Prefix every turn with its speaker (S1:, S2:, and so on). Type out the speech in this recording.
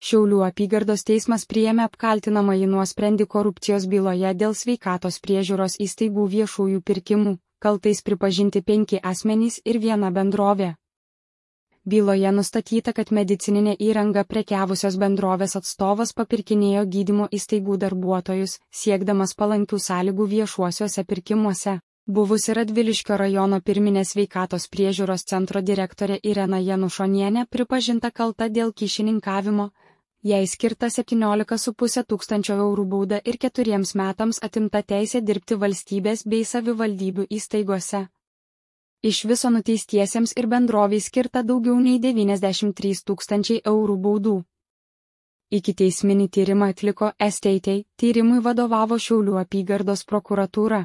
S1: Šiaulių apygardos teismas priėmė apkaltinamąjį nuosprendį korupcijos byloje dėl sveikatos priežiūros įstaigų viešųjų pirkimų, kaltais pripažinti 5 asmenys ir 1 bendrovė. Byloje nustatyta, kad medicininė įranga prekiavusios bendrovės atstovas papirkinėjo gydymo įstaigų darbuotojus, siekdamas palankių sąlygų viešuosiuose pirkimuose. Buvusi Radviliškio rajono pirminės sveikatos priežiūros centro direktorė Irena Janušonienė pripažinta kalta dėl kyšininkavimo. Jai skirta 17,5 tūkstančio eurų bauda ir 4 metams atimta teisė dirbti valstybės bei savivaldybių įstaigose. Iš viso nuteistiesiems ir bendroviai skirta daugiau nei 93 tūkstančiai eurų baudų. Ikiteisminį tyrimą atliko STT, tyrimui vadovavo Šiaulių apygardos prokuratūra.